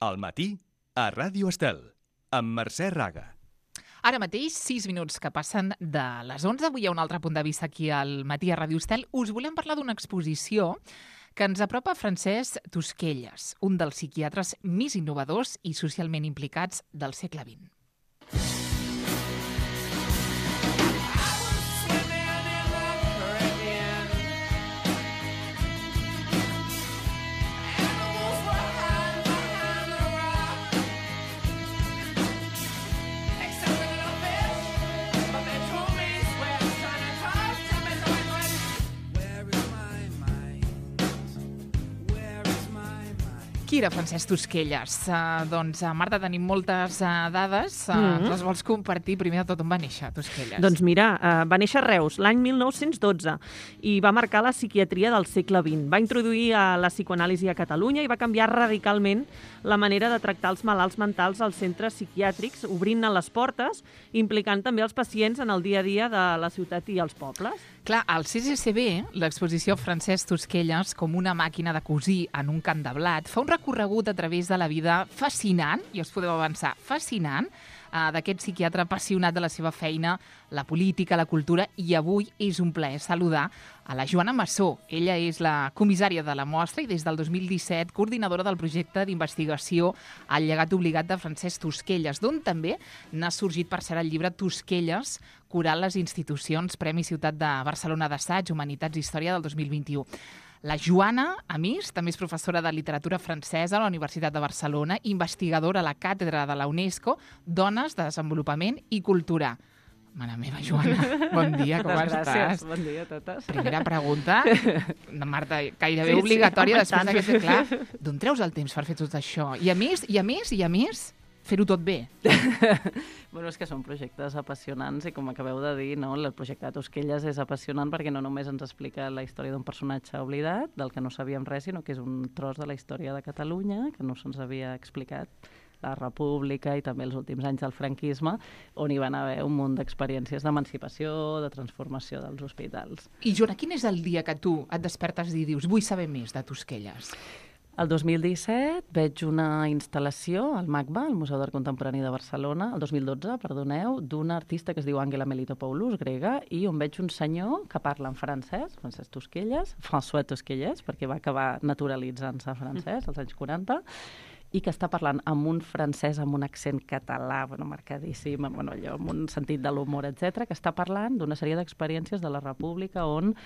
Al matí, a Ràdio Estel, amb Mercè Raga. Ara mateix, 6 minuts que passen de les 11. Avui hi ha un altre punt de vista aquí al matí a Ràdio Estel. Us volem parlar d'una exposició que ens apropa Francesc Tosquelles, un dels psiquiatres més innovadors i socialment implicats del segle XX. Qui era Francesc Tosquelles? Marta, tenim moltes dades. Les vols compartir? Primer de tot, on va néixer Tosquelles? Doncs mira, va néixer a Reus l'any 1912 i va marcar la psiquiatria del segle XX. Va introduir la psicoanàlisi a Catalunya i va canviar radicalment la manera de tractar els malalts mentals als centres psiquiàtrics, obrint-ne les portes, implicant també els pacients en el dia a dia de la ciutat i els pobles. Clar, al CCCB, l'exposició Francesc Tosquelles, com una màquina de cosir en un camp de blat, fa un recorregut a través de la vida fascinant, i us podeu avançar, fascinant, d'aquest psiquiatre apassionat de la seva feina, la política, la cultura, i avui és un plaer saludar a la Joana Massó. Ella és la comissària de la mostra i des del 2017 coordinadora del projecte d'investigació El llegat obligat de Francesc Tosquelles, d'on també n'ha sorgit, per cert, el llibre Tosquelles, curant les institucions, Premi Ciutat de Barcelona d'Assaig, Humanitats i Història del 2021. La Joana, a més, també és professora de literatura francesa a la Universitat de Barcelona, investigadora a la càtedra de la UNESCO, Dones de Desenvolupament i Cultura. Mare meva, Joana, bon dia, com estàs? Gràcies, bon dia a totes. Primera pregunta, Marta, gairebé obligatòria després d'aquest clar. D'on treus el temps per fer tot això? I a més, fer-ho tot bé. Bueno, és que són projectes apassionants i com acabeu de dir, no, el projecte de Tosquelles és apassionant perquè no només ens explica la història d'un personatge oblidat, del que no sabíem res, sinó que és un tros de la història de Catalunya que no se'ns havia explicat, la República i també els últims anys del franquisme, on hi van haver un munt d'experiències d'emancipació, de transformació dels hospitals. I Joana, quin és el dia que tu et despertes i dius vull saber més de Tosquelles? El 2017 veig una instal·lació al MACBA, al Museu d'Art Contemporani de Barcelona, el 2012, perdoneu, d'una artista que es diu Àngela Melitopoulos, grega, i on veig un senyor que parla en francès, Francesc Tosquelles, François Tosquelles, perquè va acabar naturalitzant-se francès als anys 40, i que està parlant amb un francès amb un accent català, marcadíssim, allò, amb un sentit de l'humor, etc., que està parlant d'una sèrie d'experiències de la República on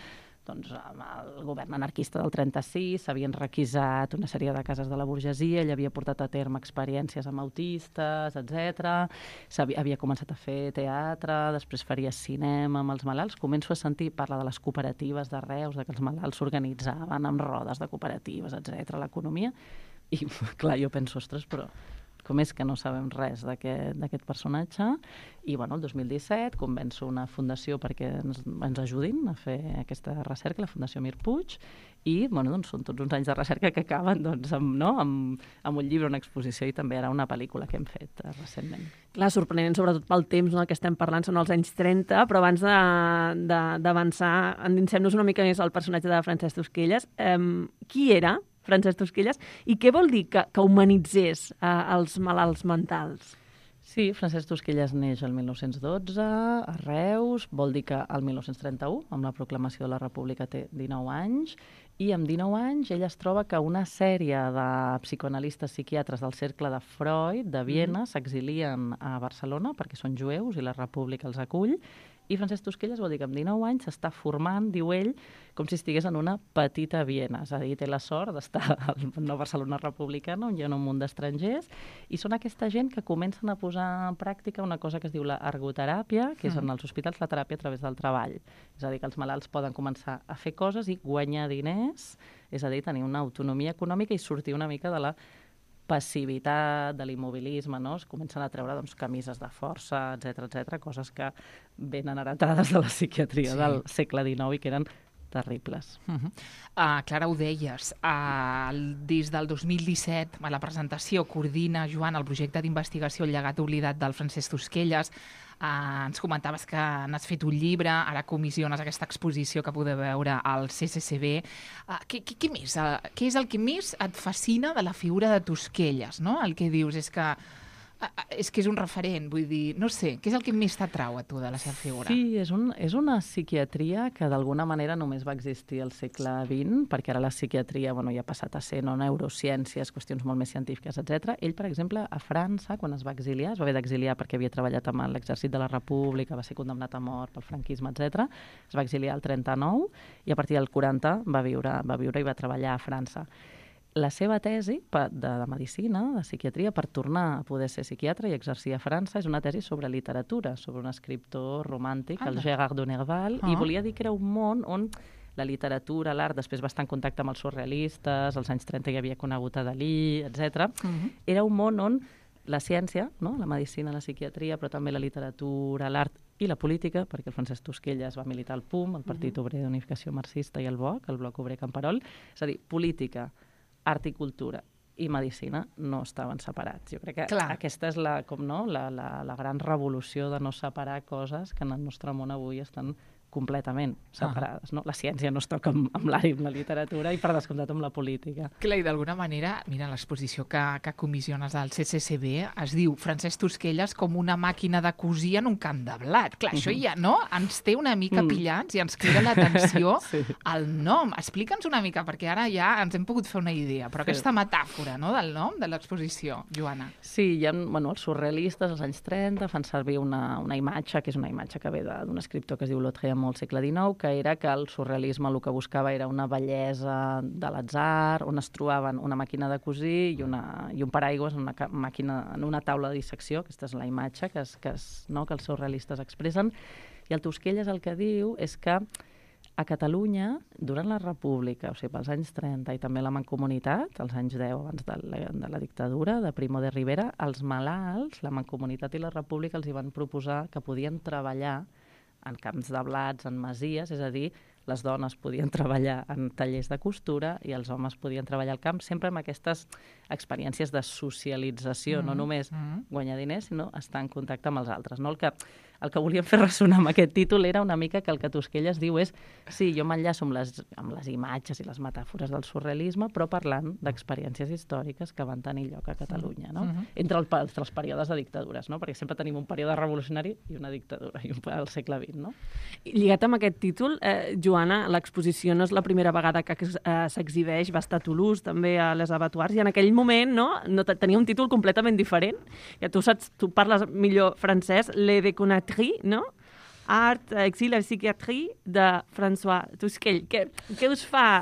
amb el govern anarquista del 36 s'havien requisat una sèrie de cases de la burgesia, ell havia portat a terme experiències amb autistes, etc. Havia començat a fer teatre, després faria cinema amb els malalts. Començo a sentir, parla de les cooperatives de Reus, de que els malalts s'organitzaven amb rodes de cooperatives, etc. l'economia. I, clar, jo penso, ostres, però com és que no sabem res d'aquest personatge? I, el 2017 convenço una fundació perquè ens ajudin a fer aquesta recerca, la Fundació Mir Puig, i, són tots uns anys de recerca que acaben amb un llibre, una exposició i també ara una pel·lícula que hem fet recentment. Clar, sorprenent, sobretot pel temps del que estem parlant, són els anys 30, però abans d'avançar, endinsem-nos una mica més al personatge de Francesc Tosquelles. Qui era Francesc Tosquelles, i què vol dir que humanitzés els malalts mentals? Sí, Francesc Tosquelles neix el 1912 a Reus, vol dir que el 1931, amb la proclamació de la República, té 19 anys, i amb 19 anys ell es troba que una sèrie de psicoanalistes psiquiatres del cercle de Freud, de Viena, s'exilien a Barcelona perquè són jueus i la República els acull, i Francesc Tosquelles vol dir que amb 19 anys s'està formant, diu ell, com si estigués en una petita Viena. És a dir, té la sort d'estar a la Barcelona republicana, on hi ha un munt d'estrangers, i són aquesta gent que comencen a posar en pràctica una cosa que es diu la ergoteràpia, que és en els hospitals la teràpia a través del treball. És a dir, que els malalts poden començar a fer coses i guanyar diners, és a dir, tenir una autonomia econòmica i sortir una mica de la passivitat, de l'immobilisme, no? Es comencen a treure camises de força, etc, coses que venen heretades de la psiquiatria del segle XIX i que eren terribles. Clara, ho deies, des del 2017, a la presentació coordina, Joan, el projecte d'investigació El llegat oblidat del Francesc Tosquelles. Ens comentaves que n'has fet un llibre, ara comissiones aquesta exposició que podeu veure al CCCB. Què més? Què és el que més et fascina de la figura de Tosquelles? No? El que dius és que és un referent, vull dir, no sé, què és el que més t'atrau a tu de la seva figura? Sí, és una psiquiatria que d'alguna manera només va existir al segle XX, perquè ara la psiquiatria ja ha passat a ser neurociències, qüestions molt més científiques, etc. Ell, per exemple, a França, quan es va exiliar, es va haver d'exiliar perquè havia treballat amb l'exèrcit de la República, va ser condemnat a mort pel franquisme, etc. Es va exiliar al 39 i a partir del 40 va viure i va treballar a França. La seva tesi de medicina, de psiquiatria, per tornar a poder ser psiquiatre i exercir a França, és una tesi sobre literatura, sobre un escriptor romàntic, el Gérard de Nerval, i volia dir que era un món on la literatura, l'art, després va estar en contacte amb els surrealistes, als anys 30 ja havia conegut a Dalí, etc. Era un món on la ciència, no? La medicina, la psiquiatria, però també la literatura, l'art i la política, perquè el Francesc Tosquelles va militar al PUM, el Partit Obrer d'Unificació Marxista, i el BOC, el Bloc Obrer Camperol, és a dir, política, art i cultura i medicina no estaven separats. Jo crec que aquesta és la gran revolució de no separar coses que en el nostre món avui estan completament separades. No? La ciència no es toca amb l'art i amb la literatura i per descomptat amb la política. Clar, i d'alguna manera, mira, l'exposició que comissiones al CCCB es diu Francesc Tosquelles com una màquina de cosir en un camp de blat. Clar, això ja no ens té una mica pillats i ens crida l'atenció al nom. Explica'ns una mica, perquè ara ja ens hem pogut fer una idea, però aquesta metàfora, no?, del nom de l'exposició, Joana. Sí, hi ha, els surrealistes als anys 30 fan servir una imatge, que és una imatge que ve d'un escriptor que es diu Lautréamont al segle XIX, que era que el surrealisme el que buscava era una bellesa de l'atzar, on es trobaven una màquina de cosir i un paraigües en una taula de dissecció. Aquesta és la imatge que els surrealistes expressen. I el Tosquelles el que diu és que a Catalunya, durant la República, o sigui, pels anys 30 i també la Mancomunitat, als anys 10 abans de la dictadura de Primo de Rivera, els malalts, la Mancomunitat i la República els hi van proposar que podien treballar en camps de blats, en masies, és a dir, les dones podien treballar en tallers de costura i els homes podien treballar al camp, sempre amb aquestes experiències de socialització, no només guanyar diners, sinó estar en contacte amb els altres. No? El que volíem fer ressonar amb aquest títol era una mica que el que Tosquelles diu és sí, jo m'enllaço amb les imatges i les metàfores del surrealisme, però parlant d'experiències històriques que van tenir lloc a Catalunya, no? Entre els períodes de dictadures, no? Perquè sempre tenim un període revolucionari i una dictadura, i al segle XX, no? Lligat amb aquest títol, Joana, l'exposició no és la primera vegada que s'exhibeix, va estar a Toulouse, també a les Abattoirs, i en aquell moment no tenia un títol completament diferent. Ja tu parles millor francès, Le Déconnerie, no? Art, exil i psiquiatria de François Tosquelles. Què us fa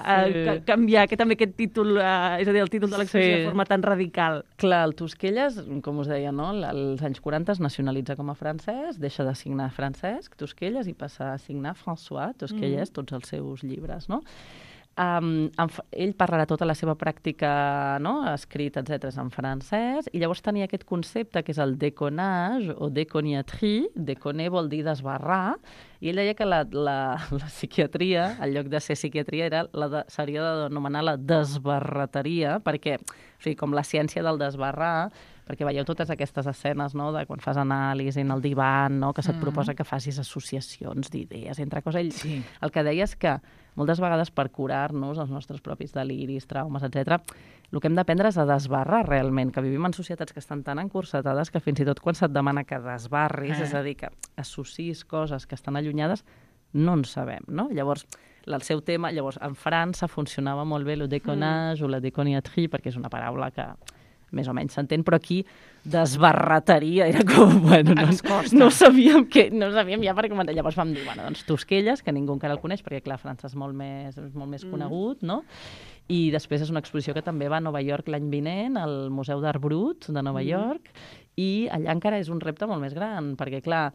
canviar també aquest títol, és a dir, el títol de l'exposició de forma tan radical? Clar, el Tosquelles, com us deia, no? Als anys 40 es nacionalitza com a francès, deixa de signar Francesc Tosquelles i passa a signar François Tosquelles, tots els seus llibres, no? Ell parlarà tota la seva pràctica, no? Escrit, etc., en francès, i llavors tenia aquest concepte que és el déconnage o déconniatrie. Déconner vol dir desbarrar, i ell deia que la psiquiatria, en lloc de ser psiquiatria, s'hauria d'anomenar la desbarrateria, perquè, o sigui, com la ciència del desbarrar, perquè veieu totes aquestes escenes, no?, de quan fas anàlisi en el divan, no?, que se't proposa que facis associacions d'idees entre coses. Ell el que deia és que moltes vegades per curar-nos els nostres propis deliris, traumes, etc., el que hem d'aprendre és a desbarrar realment, que vivim en societats que estan tan encursetades que fins i tot quan se't demana que desbarris, és a dir, que associs coses que estan allunyades, no en sabem, no? Llavors, el seu tema, en França funcionava molt bé el déconnage o la déconniatrie, perquè és una paraula que més o menys s'entén, però aquí desbarrateria era com, bueno, no sabíem ja per comentar. Llavors vam dir, bueno, doncs Tosquelles, que ningú encara el coneix, perquè clar, França és molt més conegut, no? I després és una exposició que també va a Nova York l'any vinent, al Museu d'Art Brut de Nova York, i allà encara és un repte molt més gran, perquè clar,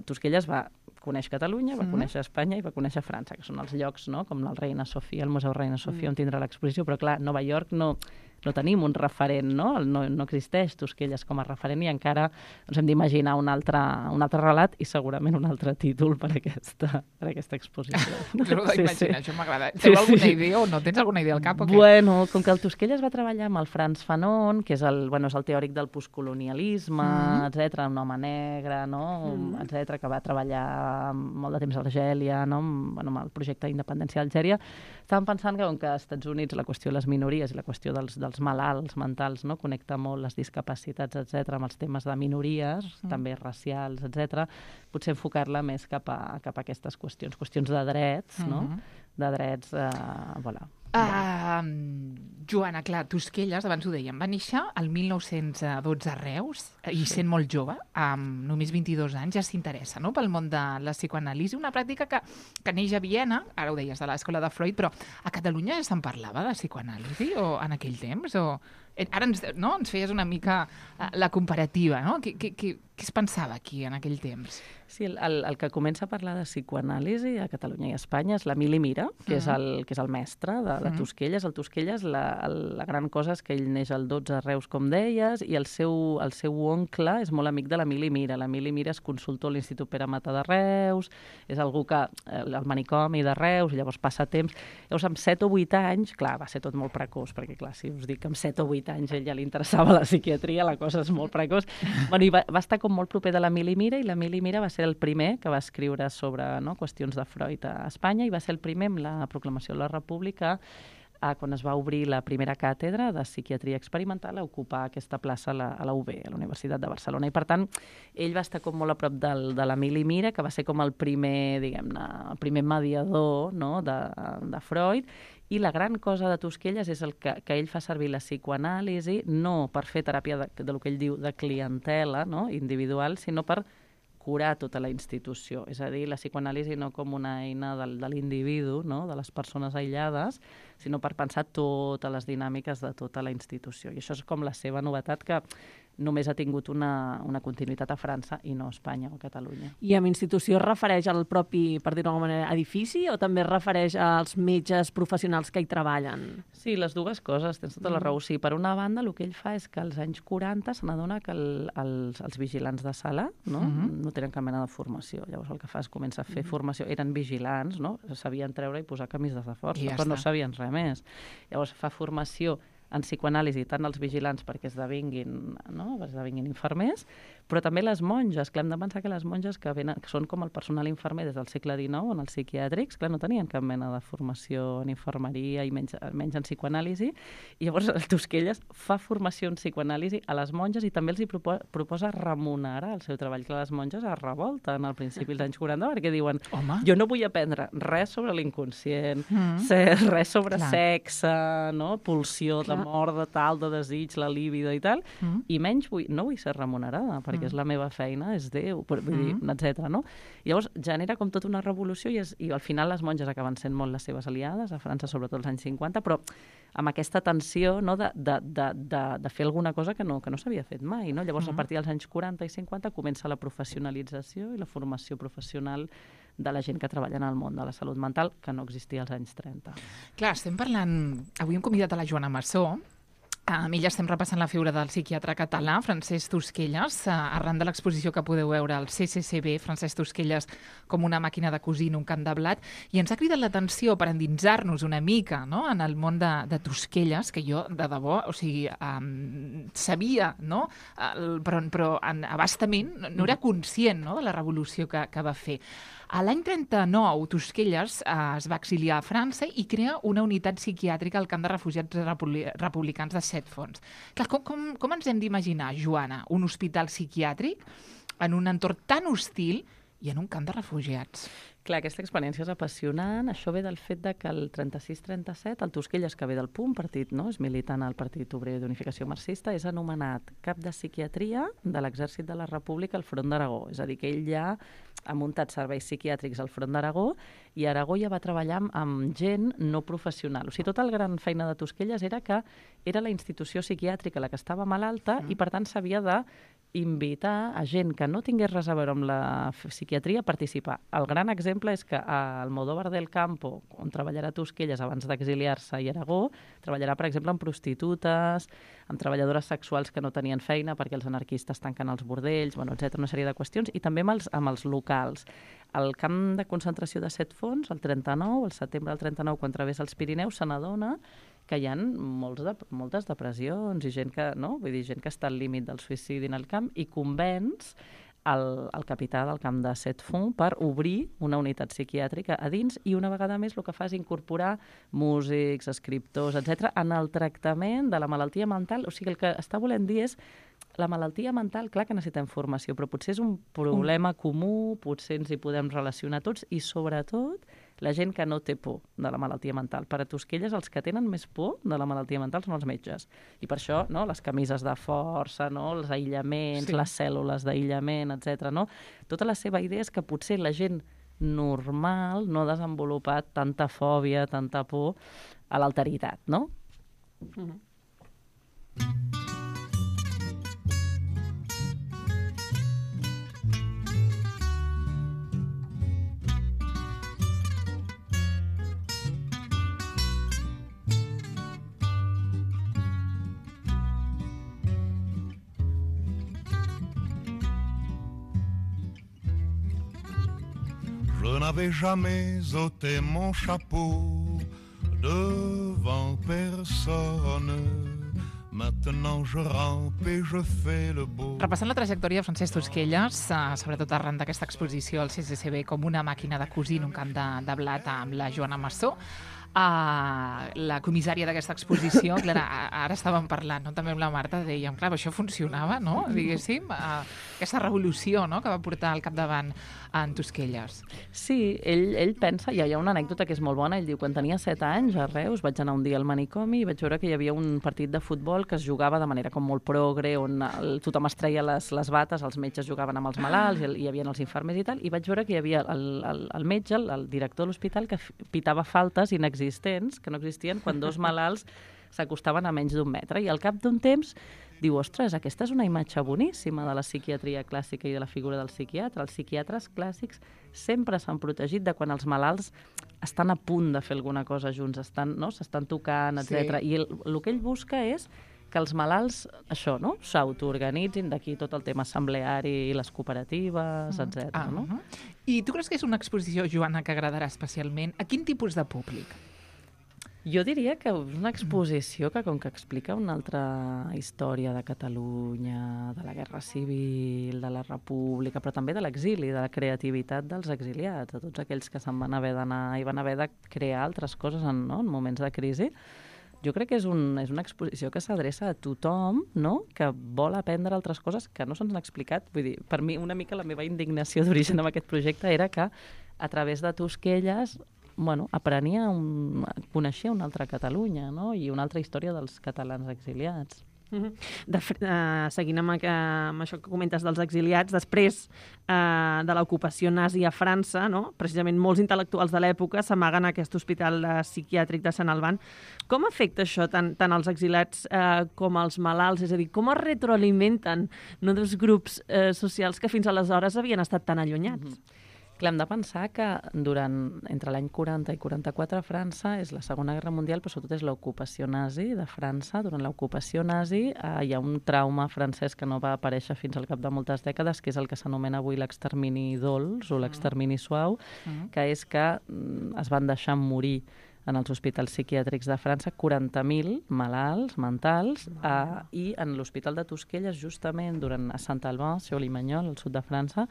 Tosquelles va conèixer Catalunya, va conèixer Espanya i va conèixer França, que són els llocs, no?, com el Reina Sofia, el Museu Reina Sofia, on tindrà l'exposició, però clar, Nova York no no tenim un referent, no? No existeix Tosquelles com a referent i encara ens hem d'imaginar un altre relat i segurament un altre títol per aquesta exposició. Però d'imaginar, això m'agrada. Tens alguna idea o no? Tens alguna idea al cap o què? Bueno, com que el Tosquelles va treballar amb el Frantz Fanon, que és el teòric del postcolonialisme, etc, un home negre, no? Etc, que va treballar molt de temps a Argèlia, no? Amb el projecte d'independència d'Algèria, estàvem pensant que, com que als Estats Units la qüestió de les minories i la qüestió dels malalts mentals, no? Connecta molt les discapacitats, etc, amb els temes de minories, també racials, etc, potser enfocar-la més cap a aquestes qüestions de drets, no? De drets, voilà. Joana, clar, Tosquelles, abans ho dèiem, va néixer el 1912 a Reus i sent molt jove, amb només 22 anys, ja s'interessa, no?, pel món de la psicoanàlisi, una pràctica que neix a Viena, ara ho deies, de l'escola de Freud, però a Catalunya ja se'n parlava de psicoanàlisi o en aquell temps? Ara ens feies una mica la comparativa, no? Què es pensava aquí en aquell temps? Sí, el que comença a parlar de psicoanàlisi a Catalunya i a Espanya és l'Emili Mira, que és el mestre de Tosquelles. El Tosquelles, la gran cosa és que ell neix al 12 a Reus, com deies, i el seu oncle és molt amic de l'Emili Mira. L'Emili Mira és consultor a l'Institut Pere Mata de Reus, és algú que el manicomi de Reus, i llavors passa temps. Llavors, amb 7 o 8 anys, clar, va ser tot molt precoç, perquè clar, si us dic que amb 7 o 8 anys ell ja li interessava la psiquiatria, la cosa és molt precoç. Bueno, i va estar com molt proper de l'Emili Mira, i l'Emili Mira va ser el primer que va escriure sobre qüestions de Freud a Espanya, i va ser el primer amb la proclamació de la República, quan es va obrir la primera càtedra de psiquiatria experimental, a ocupar aquesta plaça a la UB, a la Universitat de Barcelona. I, per tant, ell va estar com molt a prop de l'Emili Mira, que va ser com el primer, diguem-ne, el primer mediador, no?, de Freud. I la gran cosa de Tosquelles és que ell fa servir la psicoanàlisi no per fer teràpia del que ell diu de clientela, no?, individual, sinó per curar tota la institució. És a dir, la psicoanàlisi no com una eina de l'individu, no?, de les persones aïllades, sinó per pensar totes les dinàmiques de tota la institució. I això és com la seva novetat, que només ha tingut una continuïtat a França i no a Espanya o a Catalunya. I amb institució es refereix al propi, per dir-ho d'alguna manera, edifici, o també es refereix als metges professionals que hi treballen? Sí, les dues coses, tens tota la raó. Sí, per una banda, el que ell fa és que als anys 40 se n'adona que els vigilants de sala no tenen cap mena de formació. Llavors el que fa és començar a fer formació. Eren vigilants, no? Sabien treure i posar camises de força, però no sabien res més. Llavors fa formació en psicoanàlisi, tant els vigilants perquè esdevinguin infermers, però també les monges. Clar, hem de pensar que les monges que són com el personal infermer des del segle XIX en els psiquiàtrics, clar, no tenien cap mena de formació en infermeria i menys en psicoanàlisi, i llavors el Tosquelles fa formació en psicoanàlisi a les monges i també els hi proposa remunerar el seu treball. Clar, les monges es revolten al principi dels anys 40 perquè diuen, jo no vull aprendre res sobre l'inconscient, res sobre sexe, no? Pulsió de mort, de tal, de desig, la líbida i tal, i menys no vull ser remunerada, perquè és la meva feina, és Déu, etc. No? Llavors genera com tota una revolució i al final les monges acaben sent molt les seves aliades, a França sobretot als anys 50, però amb aquesta tensió, no, de fer alguna cosa que no s'havia fet mai. No? Llavors a partir dels anys 40 i 50 comença la professionalització i la formació professional de la gent que treballa en el món de la salut mental, que no existia als anys 30. Clar, estem parlant... Avui hem convidat a la Joana Massó. Amb ella estem repassant la figura del psiquiatre català, Francesc Tosquelles, arran de l'exposició que podeu veure al CCCB, Francesc Tosquelles com una màquina de cosir en un camp de blat, i ens ha cridat l'atenció per endinsar-nos una mica, no?, en el món de Tosquelles, que jo, de debò, o sigui, sabia, no?, però abastament no era conscient, no?, de la revolució que va fer. A l'any 39, Tosquelles es va exiliar a França i crea una unitat psiquiàtrica al camp de refugiats republicans de Set Fonts. Clar, com ens hem d'imaginar, Joana, un hospital psiquiàtric en un entorn tan hostil i en un camp de refugiats? Clar, aquesta experiència és apassionant. Això ve del fet de que el 36-37 el Tosquelles, que ve del PUM, partit, no?, és militant al Partit Obrer d'Unificació Marxista, és anomenat cap de psiquiatria de l'Exèrcit de la República al Front d'Aragó. És a dir, que ell ja ha muntat serveis psiquiàtrics al Front d'Aragó i a Aragó ja va treballar amb gent no professional. O sigui, tota la gran feina de Tosquelles era que era la institució psiquiàtrica la que estava malalta i, per tant, s'havia de invitar a gent que no tingués res a veure amb la psiquiatria a participar. El gran exemple és que al Almodóvar del Campo, on treballarà a Tosquelles abans d'exiliar-se i Aragó, treballarà, per exemple, amb prostitutes, amb treballadores sexuals que no tenien feina perquè els anarquistes tanquen els bordells, bueno, etc., una sèrie de qüestions, i també amb els locals. Al camp de concentració de Set Fonts, el 39, el setembre del 39, quan travessa els Pirineus, se n'adona que hi ha moltes depressions i gent que, no? Vull dir, gent que està al límit del suïcidi en el camp i convenç el capità del camp de Set Fonts per obrir una unitat psiquiàtrica a dins i una vegada més el que fa és incorporar músics, escriptors, etc., en el tractament de la malaltia mental. O sigui, el que està volent dir és la malaltia mental, clar que necessitem formació, però potser és un problema comú, potser ens hi podem relacionar tots i, sobretot, la gent que no té por de la malaltia mental. Per a Tosquelles, els que tenen més por de la malaltia mental són els metges. I per això, no?, les camises de força, no?, els aïllaments, sí, les cèl·lules d'aïllament, etc. No? Tota la seva idea és que potser la gent normal no ha desenvolupat tanta fòbia, tanta por a l'alteritat, no? Je n'avais jamais ôté mon chapeau devant personne. Maintenant je rampe et je fais le beau. Repassant la trajectòria de Francesc Tosquelles, sobretot arran d'aquesta exposició al CCCB com una màquina de cosir en un camp de blat amb la Joana Massó, la comissària d'aquesta exposició, clar, ara estàvem parlant, no? També amb la Marta, dèiem, clar, això funcionava, no? Diguéssim, aquesta revolució, no?, que va portar al capdavant en Tosquelles. Sí, ell pensa, hi ha una anècdota que és molt bona, ell diu, quan tenia 7 anys a Reus vaig anar un dia al manicomi i vaig veure que hi havia un partit de futbol que es jugava de manera com molt progre, on tothom es treia les bates, els metges jugaven amb els malalts, hi havia els infermers i tal, i vaig veure que hi havia el metge, el director de l'hospital, que pitava faltes inexistents, que no existien, quan 2 malalts s'acostaven a menys d'1 metre. I al cap d'un temps diu, ostres, aquesta és una imatge boníssima de la psiquiatria clàssica i de la figura del psiquiatre. Els psiquiatres clàssics sempre s'han protegit de quan els malalts estan a punt de fer alguna cosa junts, s'estan tocant, etc. Sí. I el que ell busca és que els malalts, això, no?, s'autoorganitzin, d'aquí tot el tema assembleari i les cooperatives, etc. No? I tu creus que és una exposició, Joana, que agradarà especialment? A quin tipus de públic? Jo diria que és una exposició que, com que explica una altra història de Catalunya, de la Guerra Civil, de la República, però també de l'exili, de la creativitat dels exiliats, de tots aquells que se'n van haver d'anar i van haver de crear altres coses en moments de crisi. Jo crec que és una exposició que s'adreça a tothom, no?, que vol aprendre altres coses que no se'ns han explicat. Vull dir, per mi, una mica la meva indignació d'origen amb aquest projecte era que, a través de Tosquelles, coneixia una altra Catalunya, no?, i una altra història dels catalans exiliats. Seguint amb això que comentes dels exiliats, després de l'ocupació nazi a França, no? Precisament molts intel·lectuals de l'època s'amaguen a aquest hospital psiquiàtric de Sant Alban. Com afecta això tant als exiliats com als malalts? És a dir, com es retroalimenten dos grups socials que fins aleshores havien estat tan allunyats? Clar, hem de pensar que entre l'any 40 i 44 a França és la Segona Guerra Mundial, però sobretot és l'ocupació nazi de França. Durant l'ocupació nazi hi ha un trauma francès que no va aparèixer fins al cap de moltes dècades, que és el que s'anomena avui l'extermini dolç o l'extermini suau, que és que es van deixar morir en els hospitals psiquiàtrics de França 40.000 malalts mentals i en l'hospital de Tosquelles, justament a Saint-Alban, Limagnol, al sud de França,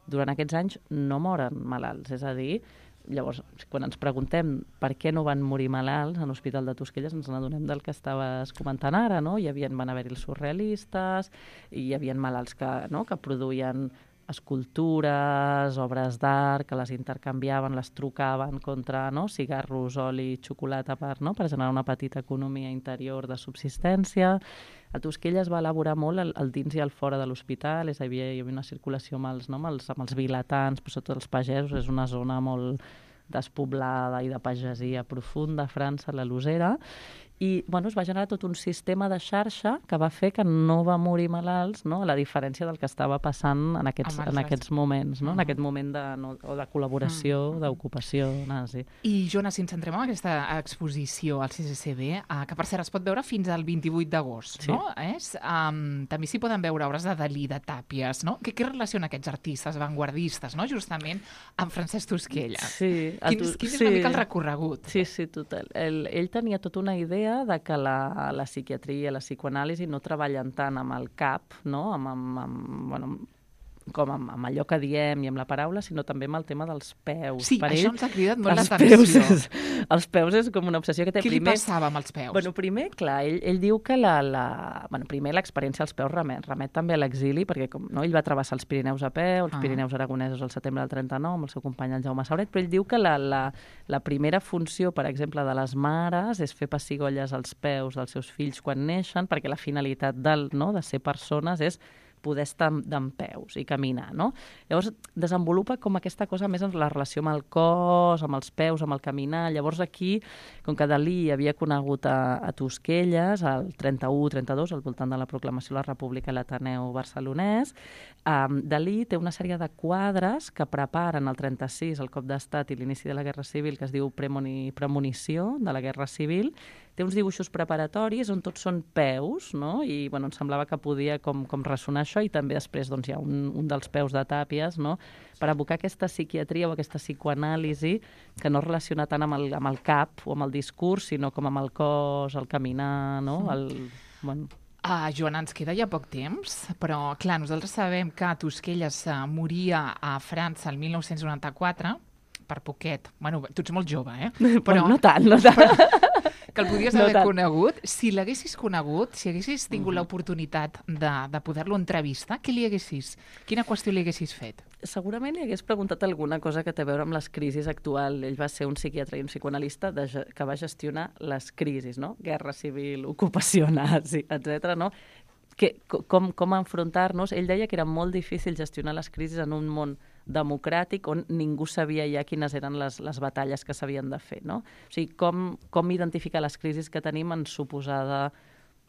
durant aquests anys no moren malalts. És a dir, llavors, quan ens preguntem per què no van morir malalts en l'Hospital de Tosquelles, ens n'adonem del que estaves comentant ara, no? Van haver-hi els surrealistes, hi havia malalts que produïen escultures, obres d'art, que les intercanviaven, les trucaven contra cigarros, oli, xocolata per generar una petita economia interior de subsistència. A Tosquelles va elaborar molt el dins i el fora de l'hospital, hi havia una circulació amb els vilatans, però sobretot els pagesos, és una zona molt despoblada i de pagesia profunda a França, la Losera, I es va generar tot un sistema de xarxa que va fer que no va morir malalts, no? A la diferència del que estava passant en aquests moments, no? En aquest moment de col·laboració, d'ocupació nazi. I, Joana, si ens centrem en aquesta exposició al CCCB, que per cert es pot veure fins al 28 d'agost, sí. No? També s'hi poden veure obres de Dalí, de Tàpies, no? Què relaciona aquests artistes vanguardistes, no? Justament amb Francesc Tosquella. Sí. Quin és una mica el recorregut? Sí, total. Ell tenia tota una idea de que la psiquiatria, la psicoanàlisi no treballen tant amb el cap, no? Amb allò que diem i amb la paraula, sinó també amb el tema dels peus. Sí, per això ell, ens ha cridat molt l'atenció. Els peus és com una obsessió que té. Què li passava amb els peus? Primer, clar, ell diu que primer l'experiència als peus remet també a l'exili, perquè ell va travessar els Pirineus a peu, els Pirineus aragonesos al setembre del 39, amb el seu company el Jaume Sauret, però ell diu que la primera funció, per exemple, de les mares és fer pessigolles als peus dels seus fills quan neixen, perquè la finalitat de ser persones és poder estar dempeus i caminar, no? Llavors, desenvolupa com aquesta cosa més en la relació amb el cos, amb els peus, amb el caminar. Llavors, aquí, com que Dalí havia conegut a Tosquelles, al 31-32, al voltant de la proclamació de la República a l'Ateneu barcelonès, Dalí té una sèrie de quadres que preparen el 36, el cop d'estat i l'inici de la Guerra Civil, que es diu Premonició de la Guerra Civil. Té uns dibuixos preparatoris on tots són peus, no? I em semblava que podia com ressonar això, i també després hi ha un dels peus de Tàpies, no? Per evocar aquesta psiquiatria o aquesta psicoanàlisi que no es relaciona tant amb el cap o amb el discurs, sinó com amb el cos, el caminar, no? Joana, ens queda ja poc temps, però clar, nosaltres sabem que Tosquelles moria a França el 1994, per poquet. Tu ets molt jove, Però no tant. Que el podies haver conegut. Si l'haguessis conegut, si haguessis tingut l'oportunitat de poder-lo entrevistar, quina qüestió li haguessis fet? Segurament li hagués preguntat alguna cosa que té a veure amb les crisis actuals. Ell va ser un psiquiatre i un psicoanalista que va gestionar les crisis, no? Guerra civil, ocupació nazi, etc. No? Com enfrontar-nos. Ell deia que era molt difícil gestionar les crisis en un món democràtic on ningú sabia ja quines eren les batalles que s'havien de fer, no? O sigui, com identificar les crisis que tenim en suposada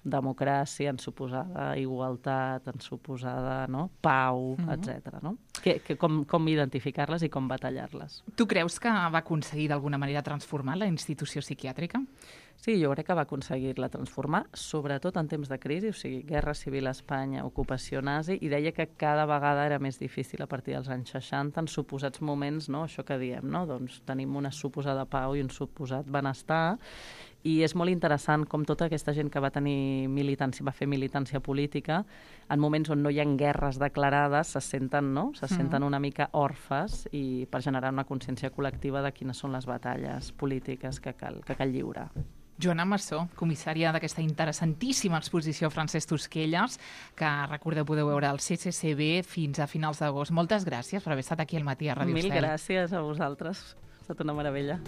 democràcia, en suposada igualtat, en suposada pau, etc. No? Com identificar-les i com batallar-les. Tu creus que va aconseguir d'alguna manera transformar la institució psiquiàtrica? Sí, jo crec que va aconseguir-la transformar, sobretot en temps de crisi, o sigui, Guerra Civil a Espanya, ocupació nazi, i deia que cada vegada era més difícil a partir dels anys 60, en suposats moments, no? Això que diem, no? Doncs tenim una suposada pau i un suposat benestar, i és molt interessant com tota aquesta gent que va tenir militància, va fer militància política, en moments on no hi ha guerres declarades, se senten una mica orfes, i per generar una consciència col·lectiva de quines són les batalles polítiques que cal lliurar. Joana Massó, comissària d'aquesta interessantíssima exposició Francesc Tosquelles, que recordeu podeu veure al CCCB fins a finals d'agost. Moltes gràcies per haver estat aquí al matí a Ràdio Estel. Mil gràcies a vosaltres, ha estat una meravella.